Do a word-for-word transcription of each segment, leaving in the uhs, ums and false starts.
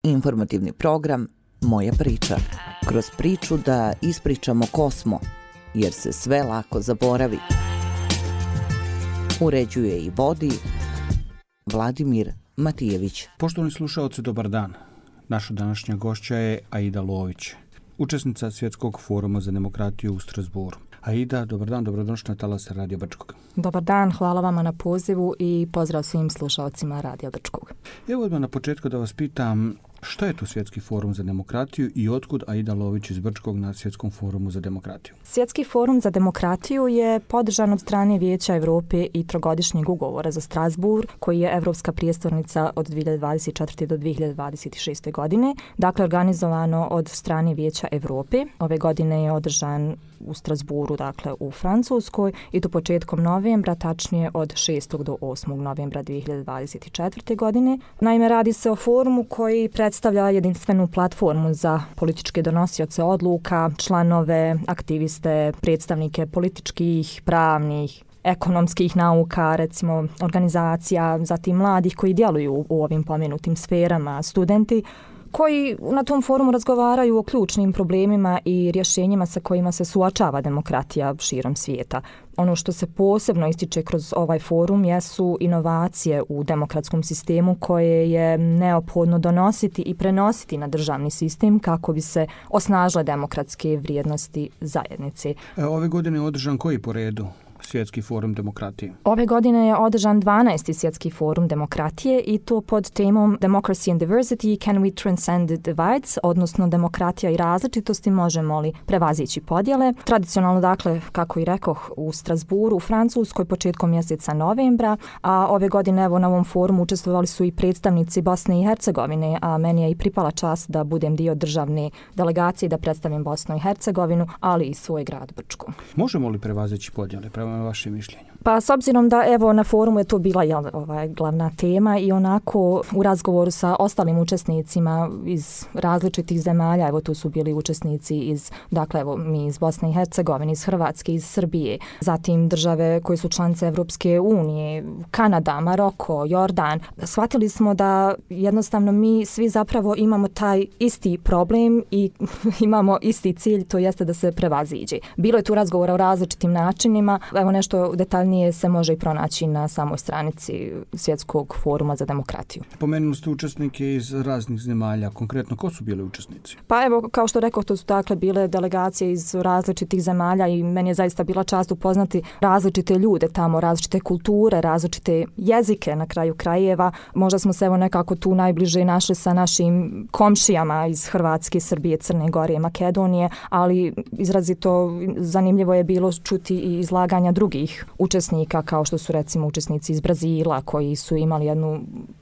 Informativni program Moja priča. Kroz priču da ispričamo ko smo, jer se sve lako zaboravi. Uređuje i vodi Vladimir Matijević. Poštovani slušaoci, dobar dan. Naša današnja gošća je Aida Lović, učesnica Svjetskog foruma za demokratiju u Strasbourgu. Aida, dobar dan, dobrodošla na talase Radio Brčkog. Dobar dan, hvala vama na pozivu i pozdrav svim slušaocima Radio Brčkog. Evo odmah na početku da vas pitam, što je to Svjetski forum za demokratiju i otkud Aida Lović iz Brčkog na Svjetskom forumu za demokratiju? Svjetski forum za demokratiju je podržan od strane Vijeća Europe i trogodišnjeg ugovora za Strasbourg, koji je evropska prijestolnica od dvije hiljade dvadeset četvrte. do dvije hiljade dvadeset šeste. godine. Dakle, organizovano od strane Vijeća Europe. Ove godine je održan u Strasbourgu, dakle u Francuskoj, i to početkom novembra, tačnije od šestog do osmog novembra dvije hiljade dvadeset četvrte. godine. Naime, radi se o forumu koji predstavlja jedinstvenu platformu za političke donosioce odluka, članove, aktiviste, predstavnike političkih, pravnih, ekonomskih nauka, recimo organizacija, zatim mladih koji djeluju u ovim pomenutim sferama, studenti, koji na tom forumu razgovaraju o ključnim problemima i rješenjima sa kojima se suočava demokratija širom svijeta. Ono što se posebno ističe kroz ovaj forum jesu inovacije u demokratskom sistemu koje je neophodno donositi i prenositi na državni sistem kako bi se osnažile demokratske vrijednosti zajednice. Ove godine je održan koji po redu Svjetski forum demokratije? Ove godine je održan dvanaesti Svjetski forum demokratije i to pod temom Democracy and Diversity, Can we transcend the divides, odnosno demokratija i različitosti, možemo li prevazići podjele. Tradicionalno, dakle, kako i rekoh, u Strasbourgu, u Francuskoj, početkom mjeseca novembra, a ove godine evo na ovom forumu učestvovali su i predstavnici Bosne i Hercegovine, a meni je i pripala čast da budem dio državne delegacije, da predstavim Bosnu i Hercegovinu, ali i svoj grad Brčko. Možemo li prevazići podjele, prema vašem mišljenju? Pa s obzirom da evo na forumu je to bila jel, ovaj, glavna tema i onako u razgovoru sa ostalim učesnicima iz različitih zemalja, evo tu su bili učesnici iz, dakle evo mi iz Bosne i Hercegovine, iz Hrvatske, iz Srbije, zatim države koje su članice Evropske unije, Kanada, Maroko, Jordan. Shvatili smo da jednostavno mi svi zapravo imamo taj isti problem i imamo isti cilj, to jeste da se prevaziđe. Bilo je tu razgovora o različitim načinima, evo nešto detaljnije se može i pronaći na samoj stranici Svjetskog foruma za demokratiju. Pomenuli ste učesnike iz raznih zemalja, konkretno ko su bili učesnici? Pa evo, kao što rekao, to su dakle bile delegacije iz različitih zemalja i meni je zaista bila čast upoznati različite ljude tamo, različite kulture, različite jezike na kraju krajeva. Možda smo se evo nekako tu najbliže našli sa našim komšijama iz Hrvatske, Srbije, Crne Gore i Makedonije, ali izrazito zanimljivo je bilo čuti i izlaganja drugih učesnika, kao što su recimo učesnici iz Brazila, koji su imali jednu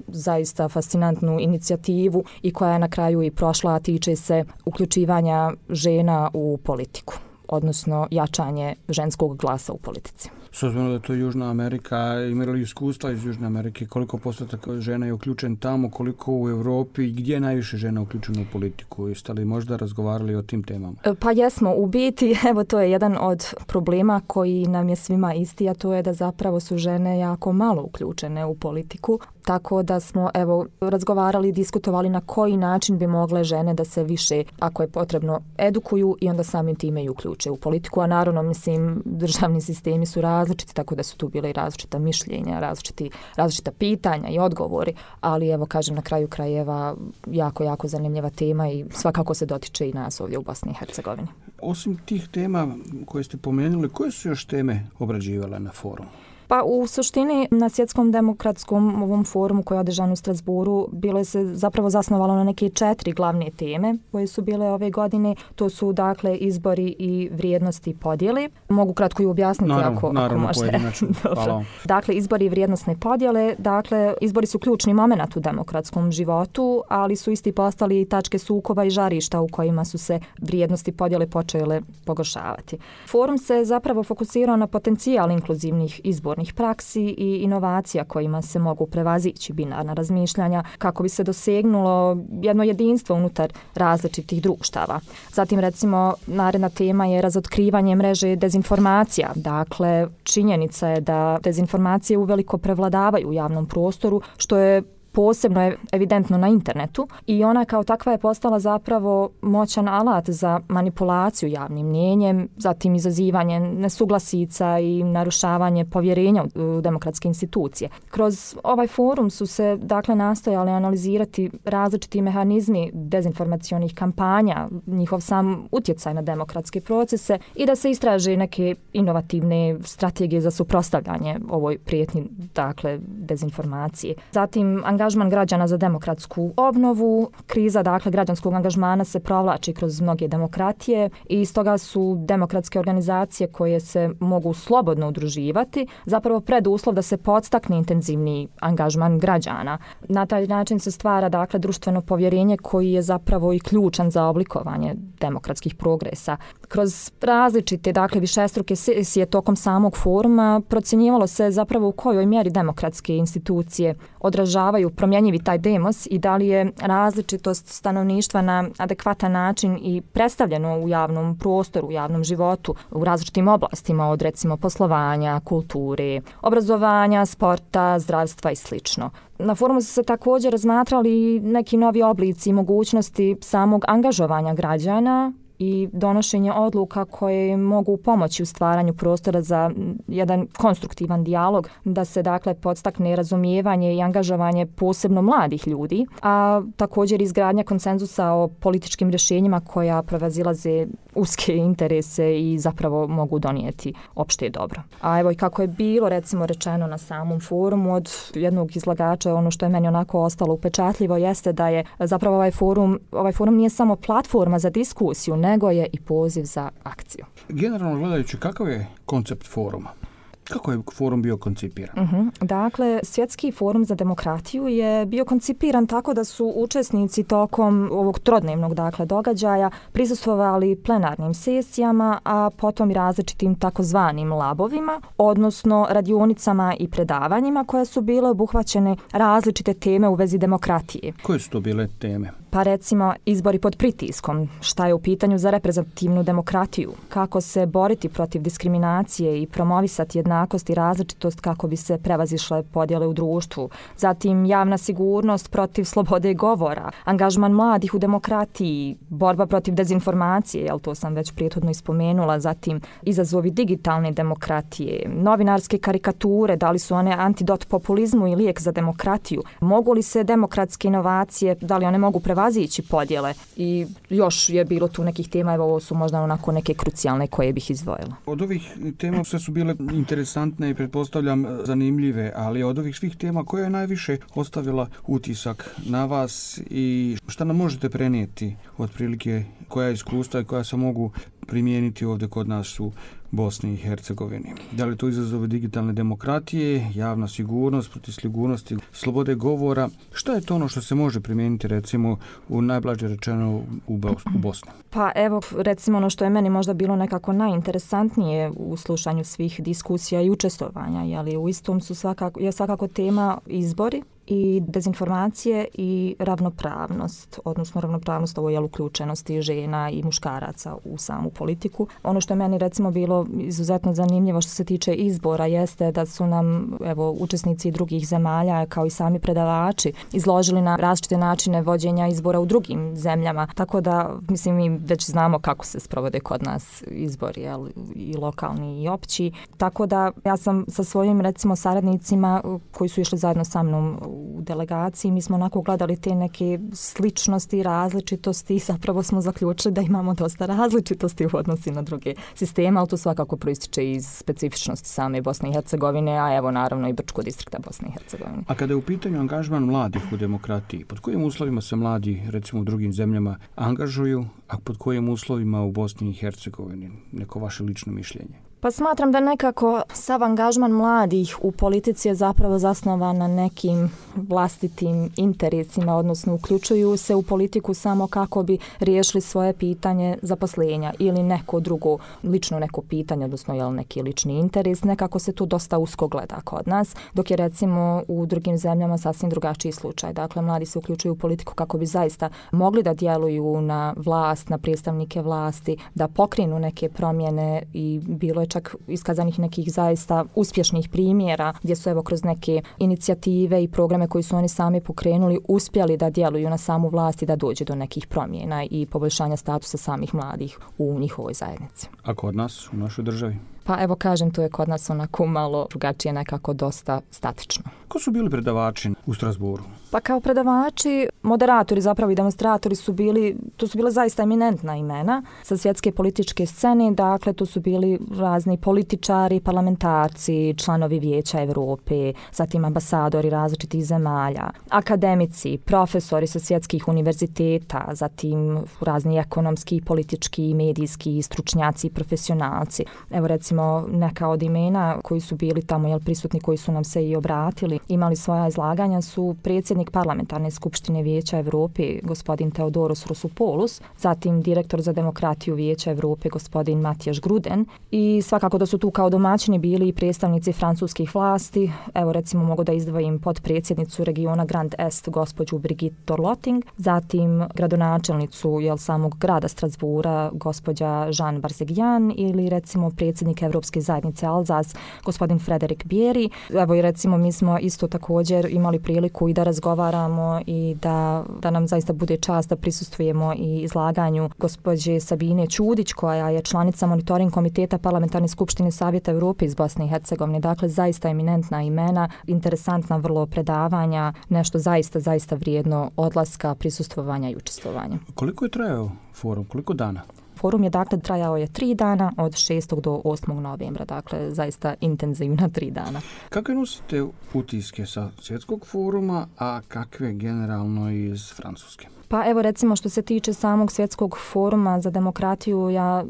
zaista fascinantnu inicijativu i koja je na kraju i prošla, a tiče se uključivanja žena u politiku, odnosno jačanje ženskog glasa u politici. S obzirom da je to Južna Amerika, imali iskustva iz Južne Amerike, koliko postotak žena je uključen tamo, koliko u Europi i gdje je najviše žena uključeno u politiku? Jeste li možda razgovarali o tim temama? Pa jesmo, u biti, evo to je jedan od problema koji nam je svima isti, a to je da zapravo su žene jako malo uključene u politiku, tako da smo evo razgovarali i diskutovali na koji način bi mogle žene da se više, ako je potrebno, edukuju i onda samim time i uključe u politiku, a naravno, mislim, državni sistemi su različiti, tako da su tu bile i različita mišljenja, različiti, različita pitanja i odgovori, ali evo kažem na kraju krajeva jako, jako zanimljiva tema i svakako se dotiče i nas ovdje u Bosni i Hercegovini. Osim tih tema koje ste pomenuli, koje su još teme obrađivale na forumu? Pa u suštini na Svjetskom demokratskom ovom forumu koji je održan u Strasbourgu bilo je se zapravo zasnovalo na neke četiri glavne teme koje su bile ove godine. To su dakle izbori i vrijednosti podjele. Mogu kratko i objasniti naravno, ako, naravno, ako možete. Hvala. Dakle, izbori i vrijednosne podjele. Dakle, izbori su ključni moment u demokratskom životu, ali su isti postali tačke sukoba i žarišta u kojima su se vrijednosti podjele počele pogoršavati. Forum se zapravo fokusirao na potencijal inkluzivnih izbora praksi i inovacija kojima se mogu prevazići binarna razmišljanja kako bi se dosegnulo jedno jedinstvo unutar različitih društava. Zatim recimo naredna tema je razotkrivanje mreže dezinformacija. Dakle, činjenica je da dezinformacije uveliko prevladavaju u javnom prostoru, što je posebno je evidentno na internetu i ona kao takva je postala zapravo moćan alat za manipulaciju javnim mnijenjem, zatim izazivanje nesuglasica i narušavanje povjerenja u demokratske institucije. Kroz ovaj forum su se dakle nastojali analizirati različiti mehanizmi dezinformacionih kampanja, njihov sam utjecaj na demokratske procese i da se istraže neke inovativne strategije za suprotstavljanje ovoj prijetnji dakle dezinformacije. Zatim angažman građana za demokratsku obnovu, kriza dakle građanskog angažmana se provlači kroz mnoge demokratije i stoga su demokratske organizacije koje se mogu slobodno udruživati zapravo preduslov da se podstakne intenzivni angažman građana. Na taj način se stvara dakle društveno povjerenje koji je zapravo i ključan za oblikovanje demokratskih progresa. Kroz različite dakle višestruke sesije tokom samog foruma procjenjivalo se zapravo u kojoj mjeri demokratske institucije odražavaju promjenjivi taj demos i da li je različitost stanovništva na adekvatan način i predstavljeno u javnom prostoru, u javnom životu, u različitim oblastima od recimo poslovanja, kulture, obrazovanja, sporta, zdravstva i slično. Na forumu su se također razmatrali neki novi oblici i mogućnosti samog angažovanja građana i donošenje odluka koje mogu pomoći u stvaranju prostora za jedan konstruktivan dijalog, da se dakle podstakne razumijevanje i angažovanje posebno mladih ljudi, a također izgradnja konsenzusa o političkim rješenjima koja prevazilaze uske interese i zapravo mogu donijeti opšte dobro. A evo i kako je bilo recimo rečeno na samom forumu od jednog izlagača, ono što je meni onako ostalo upečatljivo jeste da je zapravo ovaj forum, ovaj forum nije samo platforma za diskusiju, nego je i poziv za akciju. Generalno gledajući, kakav je koncept foruma? Kako je forum bio koncipiran? Uh-huh. Dakle, Svjetski forum za demokratiju je bio koncipiran tako da su učesnici tokom ovog trodnevnog dakle, događaja prisustvovali plenarnim sesijama, a potom i različitim takozvanim labovima, odnosno radionicama i predavanjima koje su bile obuhvaćene različite teme u vezi demokratije. Koje su to bile teme? Pa recimo izbori pod pritiskom, šta je u pitanju za reprezentativnu demokratiju, kako se boriti protiv diskriminacije i promovisati jednakost i različitost kako bi se prevazišle podjele u društvu, zatim javna sigurnost protiv slobode govora, angažman mladih u demokratiji, borba protiv dezinformacije, jel to sam već prethodno ispomenula, zatim izazovi digitalne demokratije, novinarske karikature, da li su one antidot populizmu i lijek za demokratiju, mogu li se demokratske inovacije, da li one mogu prevazići podjele i još je bilo tu nekih tema, evo ovo su možda onako neke krucijalne koje bih izdvojila. Od ovih tema sve su bile interesantne i pretpostavljam zanimljive, ali od ovih svih tema koja je najviše ostavila utisak na vas i šta nam možete prenijeti otprilike koja iskustva i koja se mogu primijeniti ovdje kod nas u Bosni i Hercegovini? Da li to izazove digitalne demokratije, javna sigurnost, protiv sigurnosti, slobode govora? Šta je to ono što se može primijeniti recimo u najblaže rečeno u Bosni? Pa evo recimo ono što je meni možda bilo nekako najinteresantnije u slušanju svih diskusija i učestvovanja, jeli u istom su svakako, je svakako tema izbori i dezinformacije i ravnopravnost, odnosno ravnopravnost ovo je uključenosti žena i muškaraca u samu politiku. Ono što je meni recimo bilo izuzetno zanimljivo što se tiče izbora jeste da su nam evo učesnici drugih zemalja kao i sami predavači izložili na različite načine vođenja izbora u drugim zemljama. Tako da mislim mi već znamo kako se sprovode kod nas izbori, jel, i lokalni i opći. Tako da ja sam sa svojim recimo saradnicima koji su išli zajedno sa mnom u delegaciji, mi smo onako gledali te neke sličnosti, različitosti i zapravo smo zaključili da imamo dosta različitosti u odnosi na druge sisteme, ali to svakako proističe iz specifičnosti same Bosne i Hercegovine, a evo naravno i Brčkog distrikta Bosne i Hercegovine. A kada je u pitanju angažman mladih u demokratiji, pod kojim uslovima se mladi recimo u drugim zemljama angažuju, a pod kojim uslovima u Bosni i Hercegovini? Neko vaše lično mišljenje? Pa smatram da nekako sav angažman mladih u politici je zapravo zasnovan na nekim vlastitim interesima, odnosno uključuju se u politiku samo kako bi riješili svoje pitanje zaposlenja ili neko drugo, lično neko pitanje, odnosno jel, neki lični interes. Nekako se tu dosta usko gleda kod nas, dok je recimo u drugim zemljama sasvim drugačiji slučaj. Dakle, mladi se uključuju u politiku kako bi zaista mogli da djeluju na vlast, na predstavnike vlasti, da pokrenu neke promjene i bilo je čak iskazanih nekih zaista uspješnih primjera gdje su evo kroz neke inicijative i programe koji su oni sami pokrenuli uspjeli da djeluju na samu vlast i da dođe do nekih promjena i poboljšanja statusa samih mladih u njihovoj zajednici. A kod nas, u našoj državi? Pa evo kažem, to je kod nas onako malo drugačije, nekako dosta statično. Ko su bili predavači u Strasburu? Pa kao predavači, moderatori zapravo i demonstratori su bili, to su bila zaista eminentna imena sa svjetske političke scene, dakle to su bili razni političari, parlamentarci, članovi Vijeća Europe, zatim ambasadori različitih zemalja, akademici, profesori sa svjetskih univerziteta, zatim razni ekonomski, politički, medijski stručnjaci i profesionalci. Evo recimo neka od imena koji su bili tamo jel, prisutni, koji su nam se i obratili, imali svoja izlaganja su predsjednik Parlamentarne skupštine Vijeća Europe, gospodin Theodoros Rousopoulos, zatim direktor za demokratiju Vijeća Europe, gospodin Matjaž Gruden, i svakako da su tu kao domaćini bili i predstavnici francuskih vlasti. Evo recimo mogu da izdvojim podpredsjednicu regiona Grand Est, gospođu Brigitte Dorlotting, zatim gradonačelnicu jel, samog grada Strasbura, gospođa Jean Barzegyan, ili recimo predsjednik Evropske zajednice Alzas, gospodin Frederik Bierry. Evo i recimo mi smo isto također imali priliku i da razgovaramo i da, da nam zaista bude čast da prisustvujemo i izlaganju gospođe Sabine Ćudić, koja je članica monitoring komiteta Parlamentarne skupštine Savjeta Europe iz Bosne i Hercegovine. Dakle, zaista eminentna imena, interesantna vrlo predavanja, nešto zaista, zaista vrijedno odlaska, prisustvovanja i učestvovanja. Koliko je trajao forum? Koliko dana? Forum je dakle trajao je tri dana od šestog do osmog novembra, dakle zaista intenzivna tri dana. Kakve nosite utiske sa svjetskog foruma, a kakve generalno iz Francuske? Pa evo recimo što se tiče samog svjetskog foruma za demokratiju, ja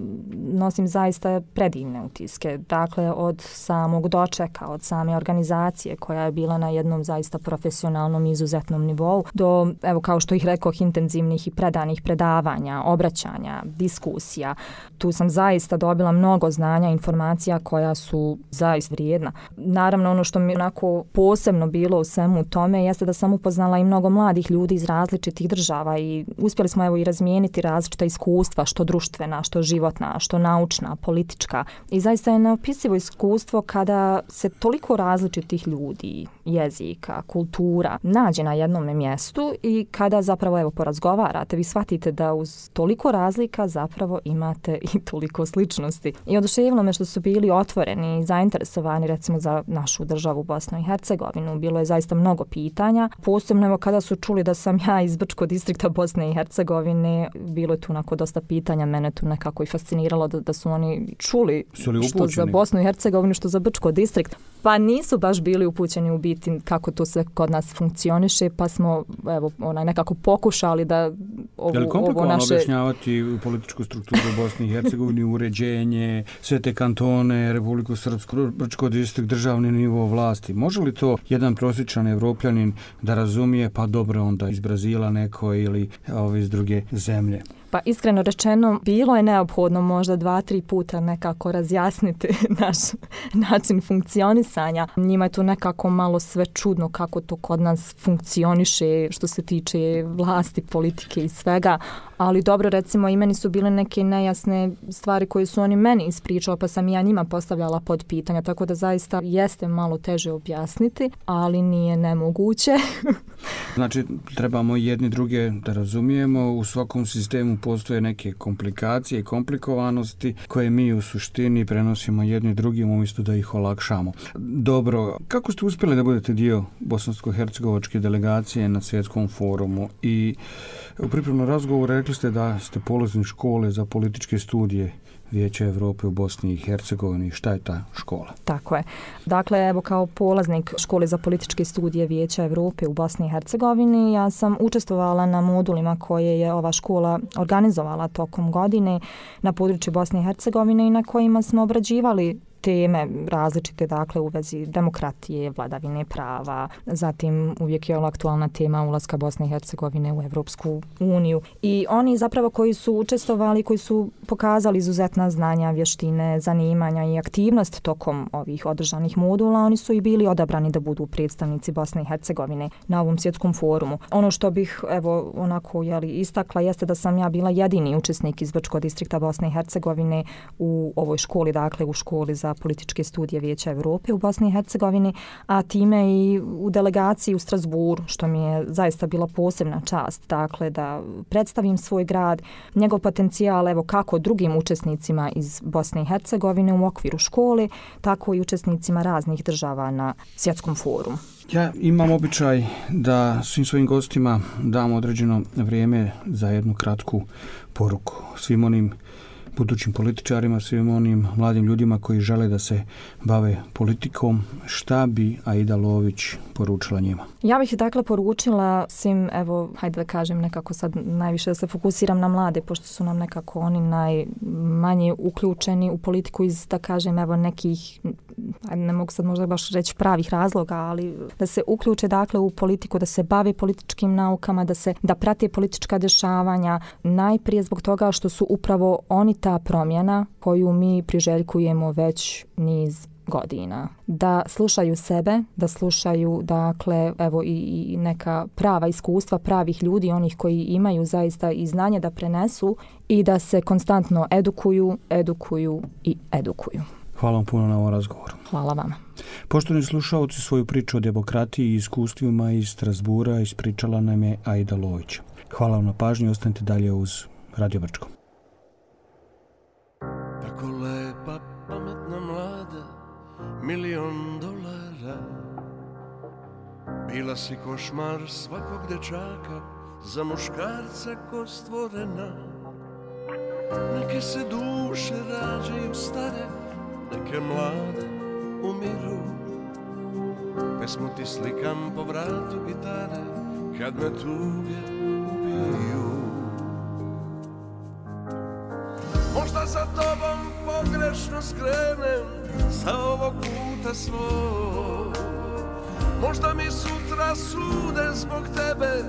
nosim zaista predivne utiske. Dakle, od samog dočeka, od same organizacije koja je bila na jednom zaista profesionalnom i izuzetnom nivou, do, evo kao što ih rekoh, intenzivnih i predanih predavanja, obraćanja, diskusija. Tu sam zaista dobila mnogo znanja, informacija koja su zaista vrijedna. Naravno, ono što mi onako posebno bilo u svemu tome jeste da sam upoznala i mnogo mladih ljudi iz različitih država i uspjeli smo evo i razmijeniti različita iskustva, što društvena, što životna, što naučna, politička. I zaista je neopisivo iskustvo kada se toliko različitih ljudi, jezika, kultura nađe na jednom mjestu i kada zapravo evo porazgovarate, vi shvatite da uz toliko razlika zapravo imate i toliko sličnosti. I oduševilo me što su bili otvoreni i zainteresovani recimo za našu državu Bosnu i Hercegovinu. Bilo je zaista mnogo pitanja, posebno evo kada su čuli da sam ja iz Brčkog distrikta Bosne i Hercegovine, bilo je tu onako dosta pitanja, mene tu nekako i fasciniralo da, da su oni čuli što za Bosnu i Hercegovinu, što za Brčko distrikt. Pa nisu baš bili upućeni u biti kako to sve kod nas funkcioniše, pa smo evo onaj nekako pokušali da ovo, je li komplikovano ovo naše... objašnjavati političku strukturu Bosne i Hercegovine, uređenje, sve te kantone, Republiku Srpsku, Brčko distrikt, državni nivo vlasti? Može li to jedan prosječan Evropljanin da razumije, pa dobro onda iz Brazila neko ili ove iz druge zemlje? Pa iskreno rečeno, bilo je neophodno možda dva, tri puta nekako razjasniti naš način funkcionisanja. Njima je to nekako malo sve čudno kako to kod nas funkcioniše što se tiče vlasti, politike i svega. Ali dobro, recimo i meni su bile neke nejasne stvari koje su oni meni ispričali, pa sam ja njima postavljala pod pitanja, tako da zaista jeste malo teže objasniti, ali nije nemoguće. Znači, trebamo jedni druge da razumijemo, u svakom sistemu postoje neke komplikacije i komplikovanosti koje mi u suštini prenosimo jedni drugim umjesto da ih olakšamo. Dobro, kako ste uspjeli da budete dio bosansko-hercegovačke delegacije na svjetskom forumu i u pripremnom razgovoru rekli ste da ste polaznik škole za političke studije Vijeća Europe u Bosni i Hercegovini. Šta je ta škola? Tako je. Dakle, evo kao polaznik škole za političke studije Vijeća Europe u Bosni i Hercegovini, ja sam učestvovala na modulima koje je ova škola organizovala tokom godine na području Bosne i Hercegovine i na kojima smo obrađivali teme različite, dakle u vezi demokratije, vladavine prava, zatim uvijek je aktualna tema ulaska Bosne i Hercegovine u Evropsku uniju. I oni zapravo koji su učestvovali, koji su pokazali izuzetna znanja, vještine, zanimanja i aktivnost tokom ovih održanih modula, oni su i bili odabrani da budu predstavnici Bosne i Hercegovine na ovom svjetskom forumu. Ono što bih evo onako jeli, istakla jeste da sam ja bila jedini učesnik iz Brčkog distrikta Bosne i Hercegovine u ovoj školi, dakle u školi za političke studije Vijeća Evrope u Bosni i Hercegovini, a time i u delegaciji u Strasburu, što mi je zaista bila posebna čast, dakle da predstavim svoj grad, njegov potencijal, evo kako drugim učesnicima iz Bosne i Hercegovine u okviru škole, tako i učesnicima raznih država na svjetskom forumu. Ja imam običaj da svim svojim gostima dam određeno vrijeme za jednu kratku poruku. Svim onim budućim političarima, svim onim mladim ljudima koji žele da se bave politikom, šta bi Aida Lović poručila njima? Ja bih dakle poručila svim, evo, hajde da kažem nekako sad najviše da se fokusiram na mlade, pošto su nam nekako oni najmanje uključeni u politiku iz, da kažem, evo nekih, ne mogu sad možda baš reći pravih razloga, ali da se uključe dakle u politiku, da se bave političkim naukama, da se da prate politička dešavanja, najprije zbog toga što su upravo oni ta promjena koju mi priželjkujemo već niz godina. Da slušaju sebe, da slušaju dakle evo i, i neka prava iskustva pravih ljudi, onih koji imaju zaista i znanje da prenesu i da se konstantno edukuju, edukuju i edukuju. Hvala vam puno na ovom razgovoru. Hvala vama. Poštovani slušaoci, svoju priču o demokratiji i iskustvima iz Strasbura ispričala nam je Aida Lović. Hvala vam na pažnji, ostanite dalje uz Radio Brčko. Tako lepa, pametna mlada, milion dolara. Bila si košmar svakog dečaka, za muškarca ko stvorena. Neke se duše rađaju stare, neke mlade umiru. Pesmu ti slikam po vratu gitare, kad me tuge ubiju. Možda za tobom pogrešno skrenem sa ovog puta svog. Možda mi sutra sude zbog tebe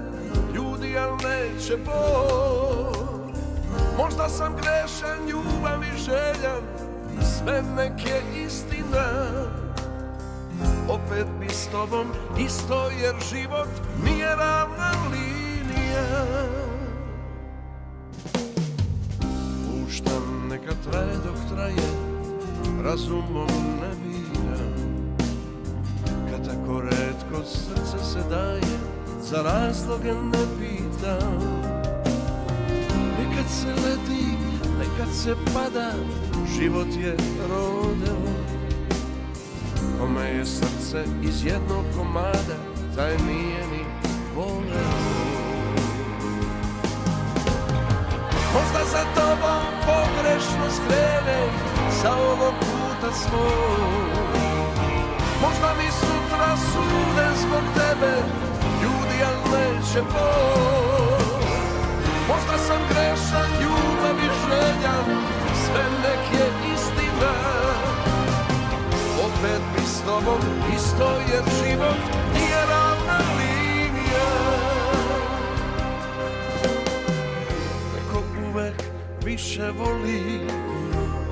ljudi, al neće Bog. Možda sam grešan, ljubav i željan, sve nek je istina. Opet bi s tobom isto, jer život nije ravna linija. Puštam neka traje dok traje, razumom ne biram. Kad tako retko srce se daje, za razloge ne pitam. Nekad se leti, nekad se pada, život je rodeo. Kome je srce iz jednog komada, taj nije ni voleo. Možda za tobom pogrešno skrenem sa ovog puta svog. Možda mi sutra sude zbog tebe ljudi, al neće Bog. Možda sam grešan, ljubav i željan, sve nek je istina. Opet bi s tobom isto, jer život nije ravna linija. Neko uvek više voli,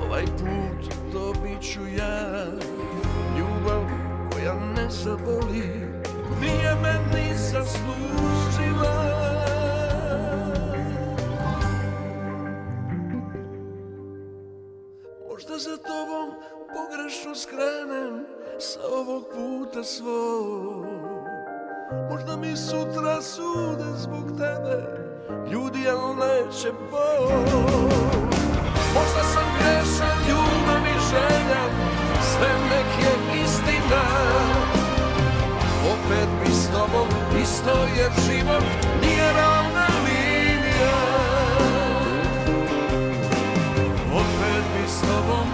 ovaj put to bit ću ja. Ljubav koja ne zaboli, nije meni zaslužila. Možda za tobom pogrešno skrenem sa ovog puta svog. Možda mi sutra sude zbog tebe ljudi, al neće Bog. Možda sam grešan, ljubav i željan, sve nek je istina. Opet bi s tobom isto, jer život nije ravna linija. Opet bi s tobom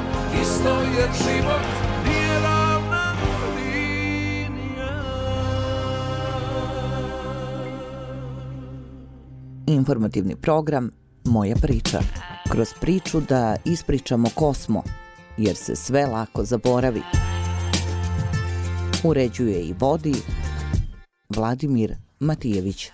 isto, jer život nije ravna linija. Informativni program Moja priča. Kroz priču da ispričamo ko smo, jer se sve lako zaboravi. Uređuje i vodi Vladimir Matijević.